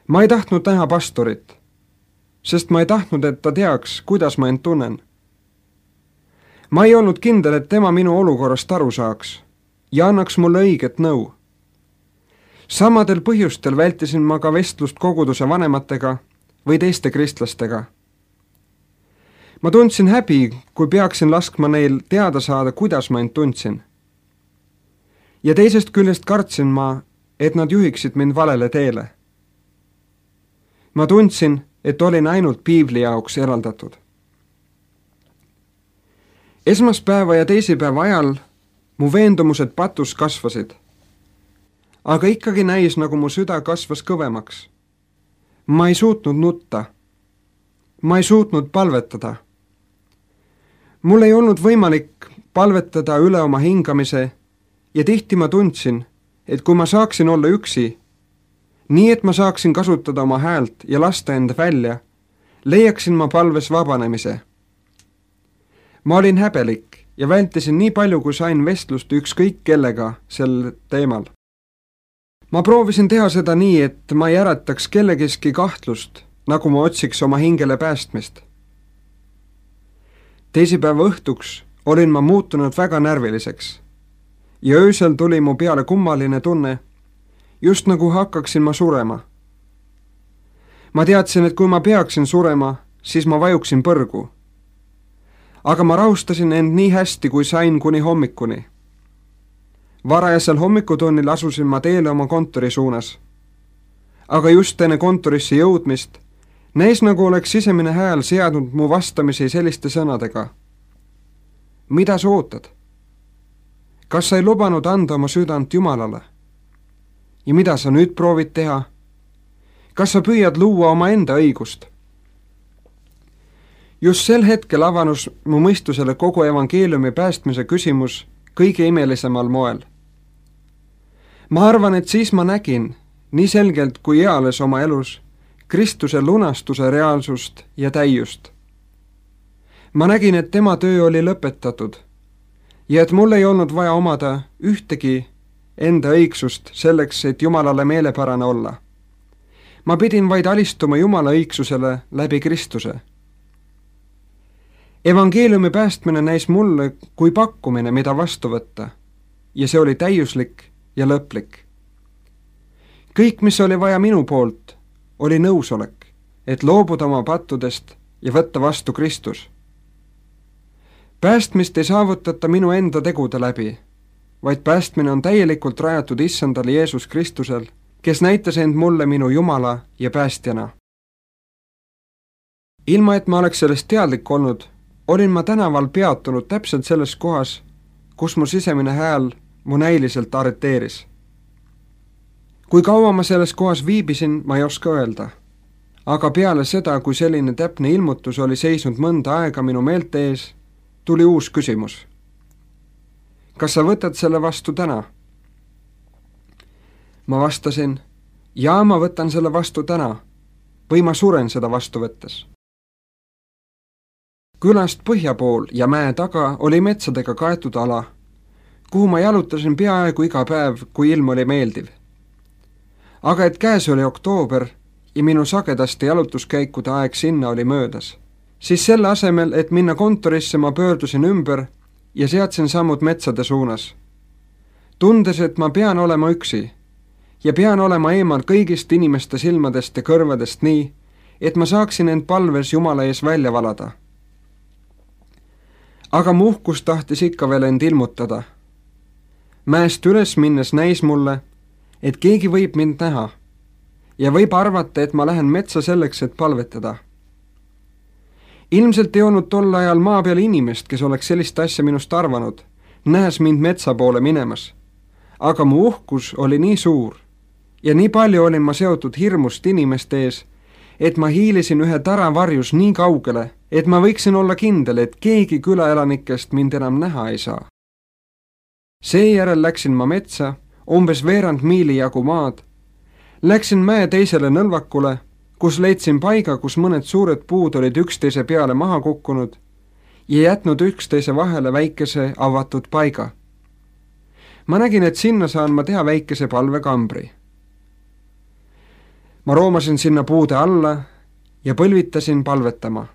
Ma ei tahtnud näha pastorit, sest ma ei tahtnud, et ta teaks, kuidas ma end tunnen. Ma ei olnud kindel, et tema minu olukorrast aru saaks ja annaks mulle õiget nõu. Samadel põhjustel vältisin ma ka vestlust koguduse vanematega või teiste kristlastega. Ma tundsin häbi, kui peaksin laskma neil teada saada, kuidas ma end tundsin. Ja teisest küljest kartsin ma, et nad juhiksid mind valele teele. Ma tundsin, et olin ainult piibli jaoks eraldatud. Esmaspäeva ja teisipäeva ajal mu veendumused patus kasvasid, aga ikkagi näis, nagu mu süda kasvas kõvemaks. Ma ei suutnud nutta. Ma ei suutnud palvetada. Mul ei olnud võimalik palvetada üle oma hingamise ja tihti ma tundsin, et kui ma saaksin olla üksi, nii et ma saaksin kasutada oma häält ja lasta enda välja, leiaksin ma palves vabanemise. Ma olin häbelik ja vältisin nii palju, kui sain vestlust ükskõik kellega sel teemal. Ma proovisin teha seda nii, et ma ei ärataks kellegiski kahtlust, nagu ma otsiks oma hingele päästmist. Teisipäeva õhtuks olin ma muutunud väga närviliseks ja öösel tuli mu peale kummaline tunne, just nagu hakkaksin ma surema. Ma teadsin, et kui ma peaksin surema, siis ma vajuksin põrgu. Aga ma rahustasin end nii hästi, kui sain kuni hommikuni. Varajasel hommikutunnil asusin ma teele oma kontori suunas. Aga just enne kontorisse jõudmist näis, nagu oleks sisemine hääl seadnud mu vastamisi selliste sõnadega. Mida sa ootad? Kas sa ei lubanud anda oma südant Jumalale? Ja mida sa nüüd proovid teha? Kas sa püüad luua oma enda õigust? Just sel hetkel avanus mu mõistusele kogu evangeeliumi päästmise küsimus kõige imelisemal moel. Ma arvan, et siis ma nägin nii selgelt kui eales oma elus Kristuse lunastuse reaalsust ja täiust. Ma nägin, et tema töö oli lõpetatud ja et mul ei olnud vaja omada ühtegi enda õigsust selleks, et Jumalale meelepärane olla. Ma pidin vaid alistuma Jumala õigsusele läbi Kristuse. Evangeeliumi päästmine näis mulle kui pakkumine, mida vastu võtta, ja see oli täiuslik ja lõplik. Kõik, mis oli vaja minu poolt, oli nõusolek, et loobuda oma pattudest ja võtta vastu Kristus. Päästmist ei saavutata minu enda tegude läbi, vaid päästmine on täielikult rajatud issandal Jeesus Kristusel, kes näitas end mulle minu Jumala ja päästjana. Ilma, et ma oleks sellest teadlik olnud, olin ma tänaval peatunud täpselt selles kohas, kus mu sisemine hääl mu näiliselt arreteeris. Kui kaua ma selles kohas viibisin, ma ei oska öelda. Aga peale seda, kui selline täpne ilmutus oli seisnud mõnda aega minu meelte ees, tuli uus küsimus. Kas sa võtad selle vastu täna? Ma vastasin, jaa, ma võtan selle vastu täna, või ma suren seda vastu võttes. Külast põhja pool ja mäe taga oli metsadega kaetud ala, kuhu ma jalutasin peaaegu iga päev, kui ilm oli meeldiv. Aga et käes oli oktoober ja minu sagedaste jalutuskäikude aeg sinna oli möödas, siis selle asemel, et minna kontorisse, ma pöördusin ümber ja seadsin sammud metsade suunas. Tundes, et ma pean olema üksi ja pean olema eemal kõigist inimeste silmadest ja kõrvadest nii, et ma saaksin end palves Jumala ees välja valada. aga mu uhkus tahtis ikka veel end ilmutada. Mäest üles minnes näis mulle, et keegi võib mind näha ja võib arvata, et ma lähen metsa selleks, et palvetada. Ilmselt ei olnud tol ajal maa peal inimest, kes oleks sellist asja minust arvanud, nähes mind metsa poole minemas. Aga mu uhkus oli nii suur ja nii palju olin ma seotud hirmust inimeste ees, et ma hiilisin ühe tara varjus nii kaugele, et ma võiksin olla kindel, et keegi külaelanikest mind enam näha ei saa. Seejärel läksin ma metsa, umbes veerand miili jagu maad, läksin mäe teisele nõlvakule, kus leidsin paiga, kus mõned suured puud olid üksteise peale maha kukkunud ja jätnud üksteise vahele väikese avatud paiga. Ma nägin, et sinna saan ma teha väikese palvekambri. Ma roomasin sinna puude alla ja põlvitasin palvetama.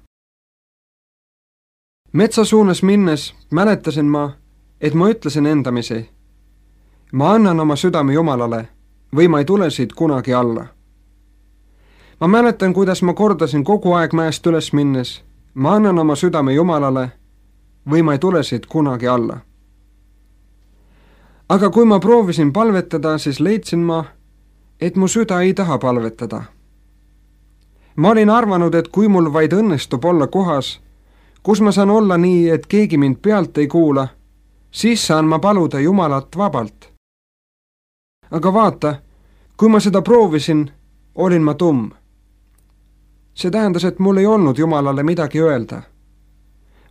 Metsa suunas minnes mäletasin ma, et ma ütlesin endamisi, ma annan oma südame Jumalale või ma ei tule siit kunagi alla. Ma mäletan, kuidas ma kordasin kogu aeg mäest üles minnes, ma annan oma südame Jumalale või ma ei tule siit kunagi alla. Aga kui ma proovisin palvetada, siis leidsin ma, et mu süda ei taha palvetada. Ma olin arvanud, et kui mul vaid õnnestub olla kohas, kus ma saan olla nii, et keegi mind pealt ei kuula, siis saan ma paluda Jumalat vabalt. Aga vaata, kui ma seda proovisin, olin ma tumm. See tähendas, et mul ei olnud Jumalale midagi öelda.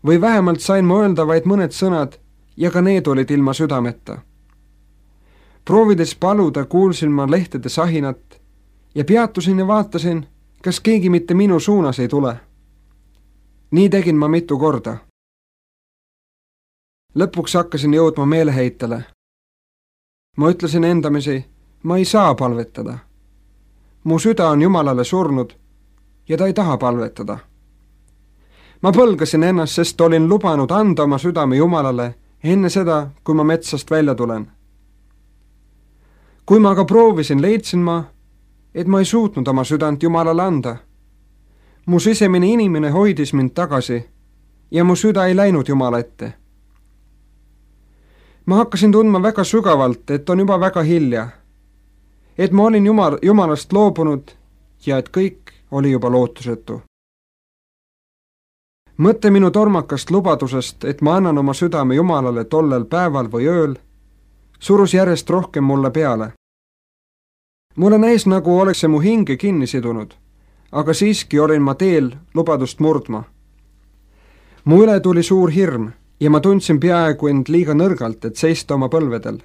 Või vähemalt sain ma öelda vaid mõned sõnad ja ka need olid ilma südameta. Proovides paluda, kuulsin ma lehtede sahinat ja peatusin ja vaatasin, kas keegi mitte minu suunas ei tule. Nii tegin ma mitu korda. Lõpuks hakkasin jõudma meeleheitele. Ma ütlesin endamisi, ma ei saa palvetada. Mu süda on Jumalale surnud ja ta ei taha palvetada. Ma põlgasin ennast, sest olin lubanud anda oma südame Jumalale enne seda, kui ma metsast välja tulen. Kui ma aga proovisin, leidsin ma, et ma ei suutnud oma südant Jumalale anda. Mu sisemine inimene hoidis mind tagasi ja mu süda ei läinud Jumala ette. Ma hakkasin tundma väga sügavalt, et on juba väga hilja, et ma olin Jumal, Jumalast loobunud ja et kõik oli juba lootusetu. Mõte minu tormakast lubadusest, et ma annan oma südame Jumalale tollel päeval või ööl, surus järjest rohkem mulle peale. Mulle näis, nagu oleks see mu hinge kinni sidunud, aga siiski olin ma teel lubadust murdma. Mu üle tuli suur hirm ja ma tundsin peaaegu end liiga nõrgalt, et seista oma põlvedel.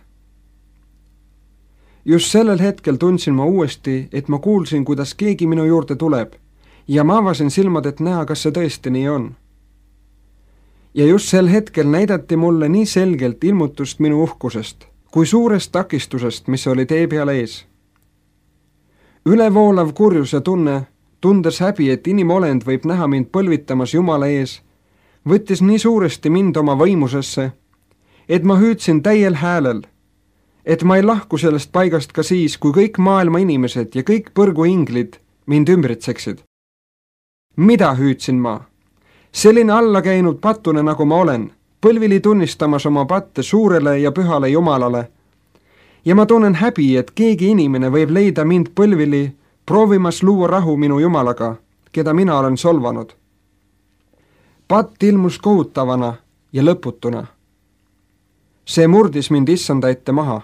Just sellel hetkel tundsin ma uuesti, et ma kuulsin, kuidas keegi minu juurde tuleb ja ma avasin silmad, et näha, kas see tõesti nii on. Ja just sel hetkel näidati mulle nii selgelt ilmutust minu uhkusest, kui suurest takistusest, mis oli tee peal ees. Ülevoolav kurjuse tunne, tundes häbi, et inimolend võib näha mind põlvitamas Jumala ees, võttis nii suuresti mind oma võimusesse, et ma hüüdsin täiel häälel, et ma ei lahku sellest paigast ka siis, kui kõik maailma inimesed ja kõik põrguinglid mind ümbritseksid. Mida hüüdsin ma? Selline alla käinud patune, nagu ma olen, põlvili tunnistamas oma patte suurele ja pühale Jumalale. Ja ma tunnen häbi, et keegi inimene võib leida mind põlvili, proovimas luua rahu minu Jumalaga, keda mina olen solvanud. Patt ilmus kohutavana ja lõputuna. See murdis mind issanda ette maha.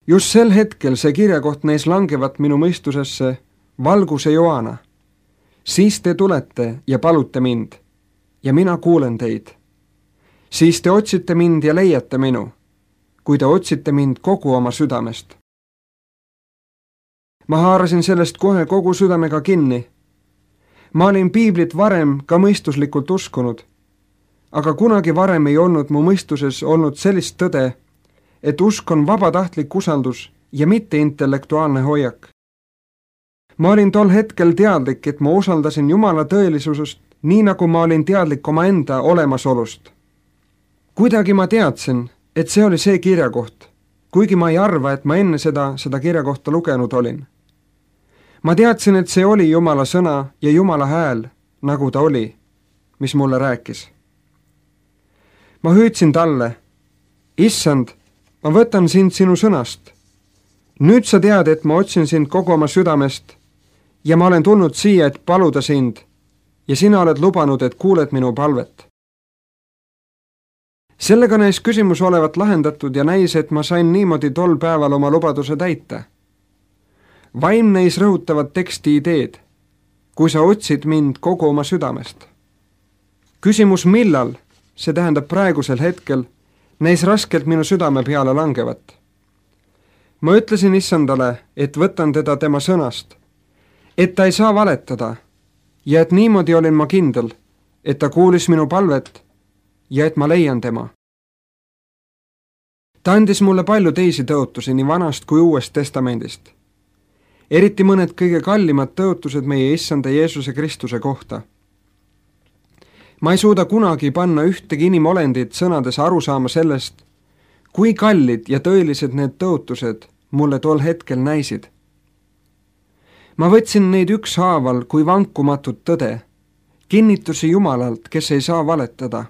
Just sel hetkel see kirjakoht näis langevat minu mõistusesse valguse joana. Siis te tulete ja palute mind ja mina kuulen teid. Siis te otsite mind ja leiate minu, kui te otsite mind kogu oma südamest. Ma haarasin sellest kohe kogu südamega kinni. Ma olin piiblit varem ka mõistuslikult uskunud, aga kunagi varem ei olnud mu mõistuses olnud sellist tõde, et usk on vabatahtlik usaldus ja mitte intellektuaalne hoiak. Ma olin tol hetkel teadlik, et ma usaldasin Jumala tõelisusest, nii nagu ma olin teadlik oma enda olemasolust. Kuidagi ma teadsin, et see oli see kirjakoht, kuigi ma ei arva, et ma enne seda, seda kirjakohta lugenud olin. ma teadsin, et see oli Jumala sõna ja Jumala hääl, nagu ta oli, mis mulle rääkis. ma hüüdsin talle, issand, ma võtan sind sinu sõnast. nüüd sa tead, et ma otsin sind kogu oma südamest ja ma olen tulnud siia, et paluda sind ja sina oled lubanud, et kuuled minu palvet. sellega näis küsimus olevat lahendatud ja näis, et ma sain niimoodi tol päeval oma lubaduse täita. vaim neis rõhutavad teksti ideed, kui sa otsid mind kogu oma südamest. küsimus millal, see tähendab praegusel hetkel, neis raskelt minu südame peale langevat. ma ütlesin issandale, et võtan teda tema sõnast, et ta ei saa valetada ja et niimoodi olin ma kindel, et ta kuulis minu palvet ja et ma leian tema. ta andis mulle palju teisi tõotusi nii vanast kui uuest testamendist. eriti mõned kõige kallimad tõotused meie issanda Jeesuse Kristuse kohta. ma ei suuda kunagi panna ühtegi inimolendit sõnades aru saama sellest, kui kallid ja tõelised need tõotused mulle tol hetkel näisid. ma võtsin neid ükshaaval kui vankumatut tõde, kinnitusi Jumalalt, kes ei saa valetada.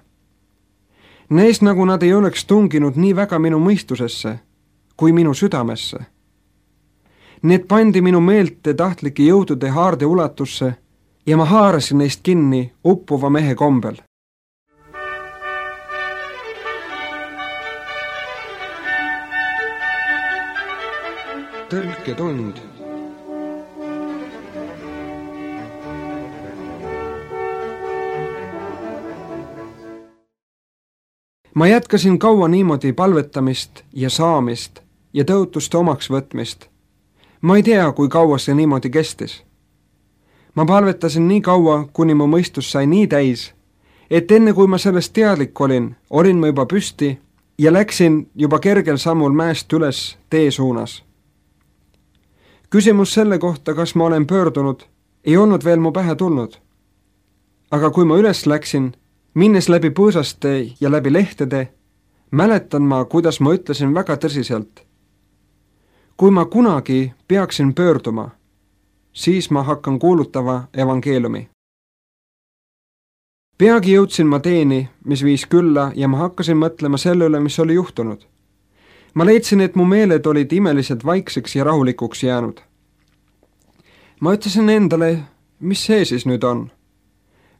Neis nagu nad ei oleks tunginud nii väga minu mõistusesse kui minu südamesse. Need pandi minu meelte tahtlike jõudude haarde ulatusse ja ma haarasin neist kinni uppuva mehe kombel. tõlketund. ma jätkasin kaua niimoodi palvetamist ja saamist ja tõotuste omaks võtmist. ma ei tea, kui kaua see niimoodi kestis. ma palvetasin nii kaua, kuni mu mõistus sai nii täis, et enne kui ma sellest teadlik olin, olin ma juba püsti ja läksin juba kergel sammul mäest üles tee suunas. küsimus selle kohta, kas ma olen pöördunud, ei olnud veel mu pähe tulnud. aga kui ma üles läksin, minnes läbi põõsaste ja läbi lehtede, mäletan ma, kuidas ma ütlesin väga tõsiselt. kui ma kunagi peaksin pöörduma, siis ma hakkan kuulutama evangeeliumi. peagi jõudsin ma teeni, mis viis külla ja ma hakkasin mõtlema selle üle, mis oli juhtunud. ma leidsin, et mu meeled olid imeliselt vaikseks ja rahulikuks jäänud. ma ütlesin endale, mis see siis nüüd on?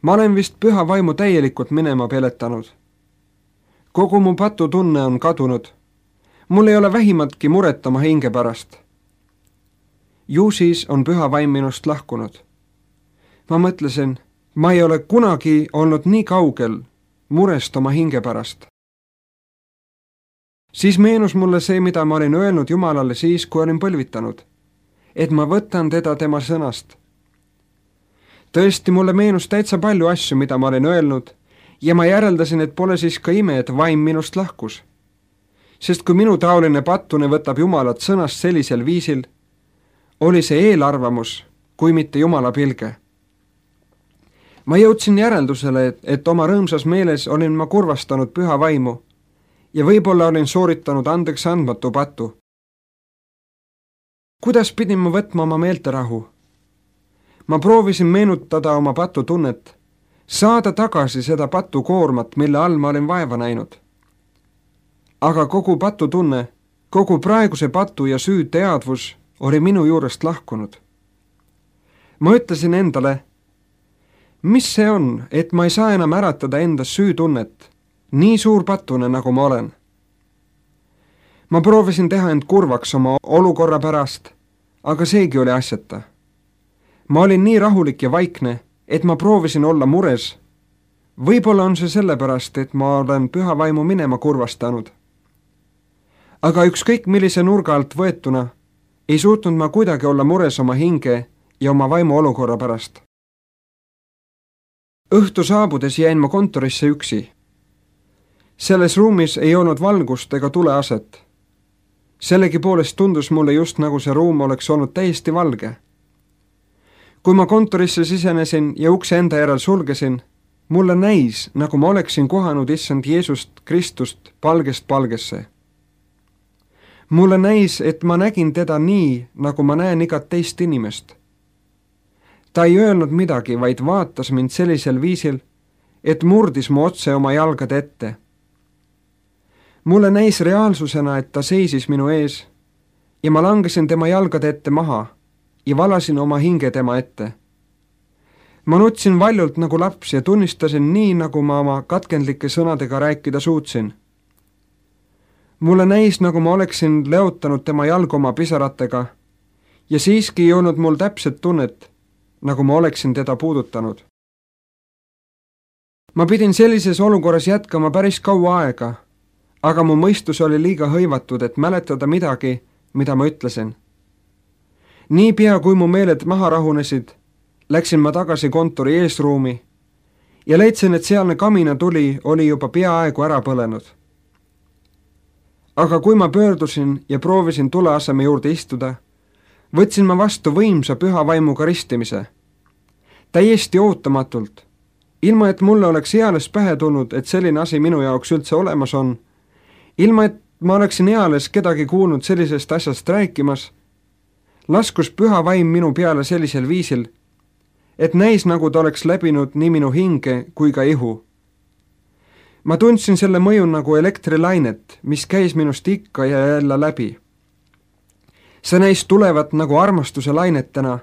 ma olen vist püha vaimu täielikult minema peletanud. kogu mu patutunne on kadunud. mul ei ole vähimatki muret oma hinge pärast. ju siis on püha vaim minust lahkunud. ma mõtlesin, ma ei ole kunagi olnud nii kaugel murest oma hinge pärast. siis meenus mulle see, mida ma olin öelnud Jumalale siis, kui olin põlvitanud, et ma võtan teda tema sõnast. tõesti, mulle meenus täitsa palju asju, mida ma olin öelnud ja ma järeldasin, et pole siis ka ime, et vaim minust lahkus. sest kui minu taoline pattune võtab Jumalat sõnast sellisel viisil, oli see eelarvamus, kui mitte Jumala pilge. ma jõudsin järeldusele, et, et oma rõõmsas meeles olin ma kurvastanud püha vaimu ja võib-olla olin sooritanud andeks andmatu patu. kuidas pidin ma võtma oma meelterahu? ma proovisin meenutada oma patutunnet, saada tagasi seda patukoormat, mille all ma olin vaeva näinud. aga kogu patutunne, kogu praeguse patu ja süü teadvus oli minu juurest lahkunud. ma ütlesin endale, mis see on, et ma ei saa enam äratada endas süütunnet, nii suur patune, nagu ma olen. ma proovisin teha end kurvaks oma olukorra pärast, aga seegi oli asjata. ma olin nii rahulik ja vaikne, et ma proovisin olla mures. võib-olla on see sellepärast, et ma olen püha vaimu minema kurvastanud. aga ükskõik millise nurga alt võetuna, ei suutnud ma kuidagi olla mures oma hinge ja oma vaimu olukorra pärast. õhtu saabudes jäin ma kontorisse üksi. selles ruumis ei olnud valgust ega tuleaset. sellegipoolest tundus mulle just, nagu see ruum oleks olnud täiesti valge. kui ma kontorisse sisenesin ja ukse enda järel sulgesin, mulle näis, nagu ma oleksin kohanud issand Jeesust Kristust palgest palgesse. mulle näis, et ma nägin teda nii, nagu ma näen igat teist inimest, Ta ei öelnud midagi, vaid vaatas mind sellisel viisil, et murdis mu otse oma jalgade ette. Mulle näis reaalsusena, et ta seisis minu ees ja ma langesin tema jalgade ette maha ja valasin oma hinge tema ette. Ma nutsin valjult nagu laps ja tunnistasin nii, nagu ma oma katkendlike sõnadega rääkida suutsin. Mulle näis, nagu ma oleksin leotanud tema jalgu oma pisaratega ja siiski ei olnud mul täpset tunnet, nagu ma oleksin teda puudutanud. Ma pidin sellises olukorras jätkama päris kaua aega, aga mu mõistus oli liiga hõivatud, et mäletada midagi, mida ma ütlesin. Niipea kui mu meeled maha rahunesid, läksin ma tagasi kontori eesruumi ja leidsin, et sealne kaminatuli oli juba peaaegu ära põlenud. Aga kui ma pöördusin ja proovisin tuleaseme juurde istuda, võtsin ma vastu võimsa püha vaimuga ristimise. Täiesti ootamatult, ilma et mulle oleks eales pähe tulnud, et selline asi minu jaoks üldse olemas on, ilma et ma oleksin eales kedagi kuulnud sellisest asjast rääkimas, laskus püha vaim minu peale sellisel viisil, et näis, nagu ta oleks läbinud nii minu hinge kui ka ihu. Ma tundsin selle mõju nagu elektrilainet, mis käis minust ikka ja jälle läbi. See näis tulevat nagu armastuse lainetena,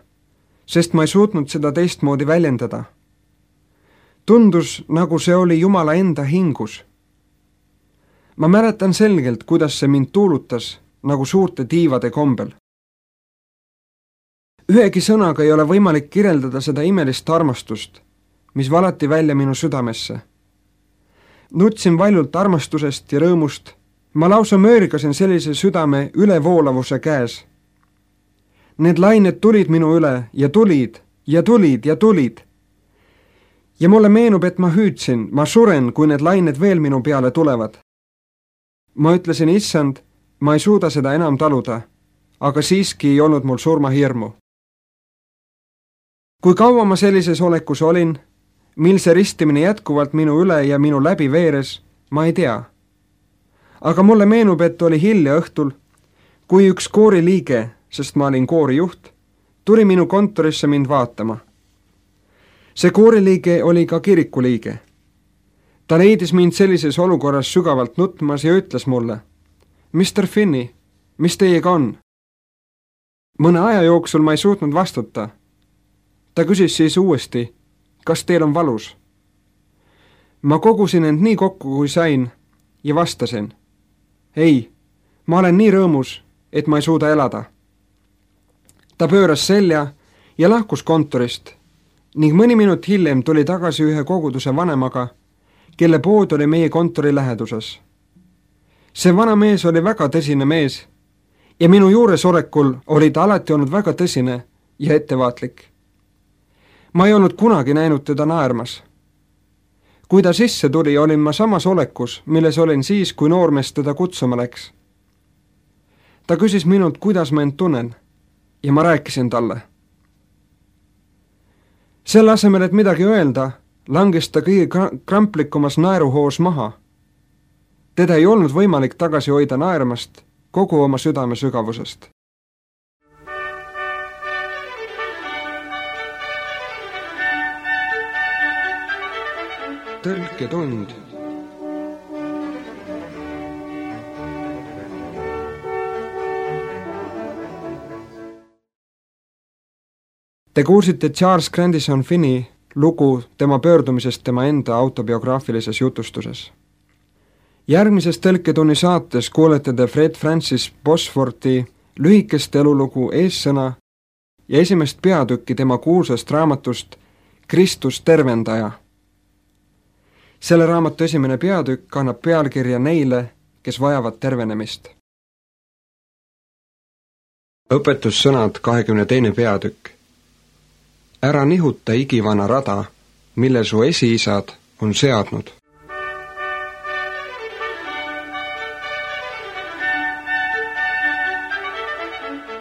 sest ma ei suutnud seda teistmoodi väljendada. Tundus, nagu see oli Jumala enda hingus. Ma mäletan selgelt, kuidas see mind tuulutas nagu suurte tiivade kombel. Ühegi sõnaga ei ole võimalik kirjeldada seda imelist armastust, mis valati välja minu südamesse. Nutsin valjult armastusest ja rõõmust, ma lausa möörigasin sellise südame ülevoolavuse käes. Need lained tulid minu üle ja tulid ja tulid ja tulid. Ja mulle meenub, et ma hüüdsin, ma suren, kui need lained veel minu peale tulevad. Ma ütlesin, issand, ma ei suuda seda enam taluda, aga siiski ei olnud mul surmahirmu. Kui kaua ma sellises olekus olin, mil see ristimine jätkuvalt minu üle ja minu läbi veeres, ma ei tea. Aga mulle meenub, et oli hilja õhtul, kui üks koori liige, sest ma olin koorijuht, tuli minu kontorisse mind vaatama. See kooriliige oli ka kirikuliige. Ta leidis mind sellises olukorras sügavalt nutmas ja ütles mulle, mister Finney, mis teiega on? Mõne aja jooksul ma ei suutnud vastuta. Ta küsis siis uuesti, kas teil on valus? Ma kogusin end nii kokku, kui sain ja vastasin, ei, ma olen nii rõõmus, et ma ei suuda elada. Ta pööras selja ja lahkus kontorist ning mõni minut hiljem tuli tagasi ühe koguduse vanemaga, kelle pood oli meie kontori läheduses. See vana mees oli väga tõsine mees ja minu juuresolekul oli ta alati olnud väga tõsine ja ettevaatlik. Ma ei olnud kunagi näinud teda naermas. Kui ta sisse tuli, olin ma samas olekus, milles olin siis, kui noormees teda kutsuma läks. Ta küsis minult, kuidas ma end tunnen ja ma rääkisin talle. Selle asemel, et midagi öelda, langes ta kõige kramplikumas naeruhoos maha. Teda ei olnud võimalik tagasi hoida naermast kogu oma südame sügavusest. Tõlketund. Te kuulsite Charles Grandison Finney lugu tema pöördumisest tema enda autobiograafilises jutustuses. Järgmises tõlketunni saates kuulete te Fred Francis Bosforti lühikest elulugu Eessõna ja esimest peatükki tema kuulsast raamatust Kristus tervendaja. Selle raamatu esimene peatükk annab pealkirja neile, kes vajavad tervenemist. Õpetussõnad kahekümne teine peatükk. Ära nihuta igivana rada, mille su esiisad on seadnud.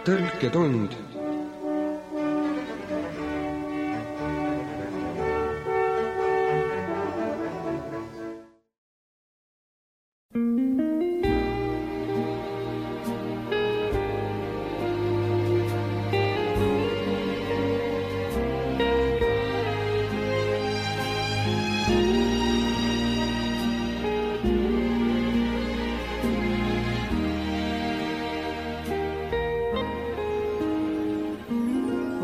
Tõlketund.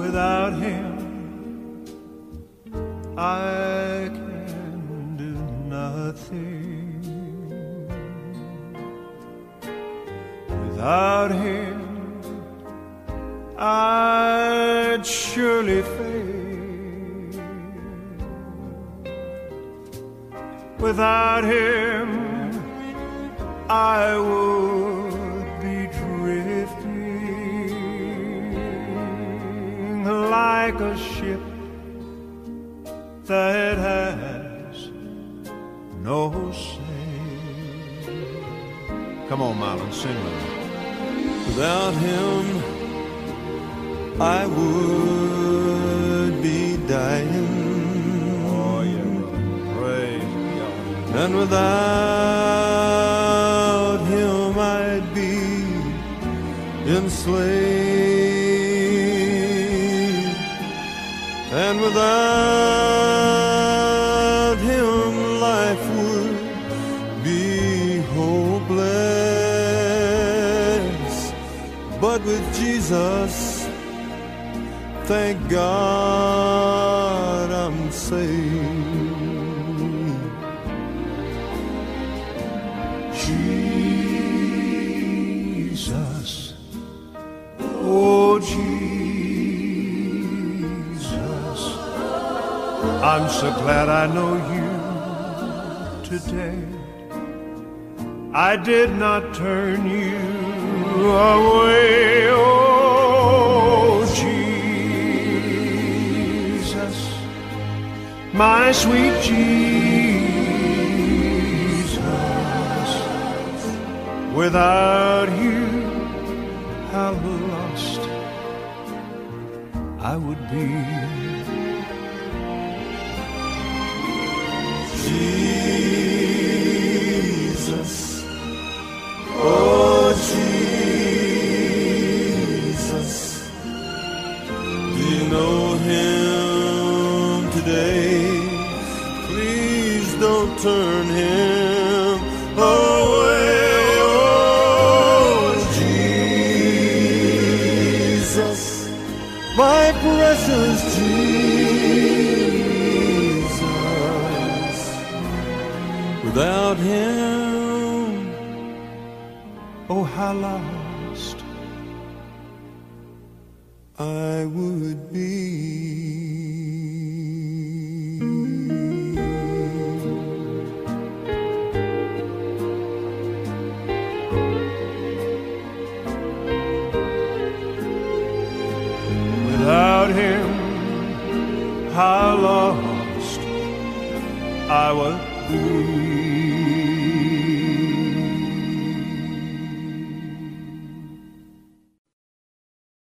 Without him, I can do nothing. Without him, I'd surely fail. Without him, I would be drifting like a ship that has no sail. Come on, Marlon, sing with me. Without him, I would be dying. Oh, yeah, brother. Praise God. And without him, I'd be enslaved. And without him, life would be hopeless. But with Jesus, thank God I'm saved. Jesus, oh Jesus, I'm so glad I know you today. I did not turn you away. Oh Jesus, my sweet Jesus, without you, how lost I would be. Jesus, oh Jesus, do you know him today? Please don't turn him away. Oh Jesus, my precious Jesus, without him, oh how lost I would be. Without him, how lost I would be.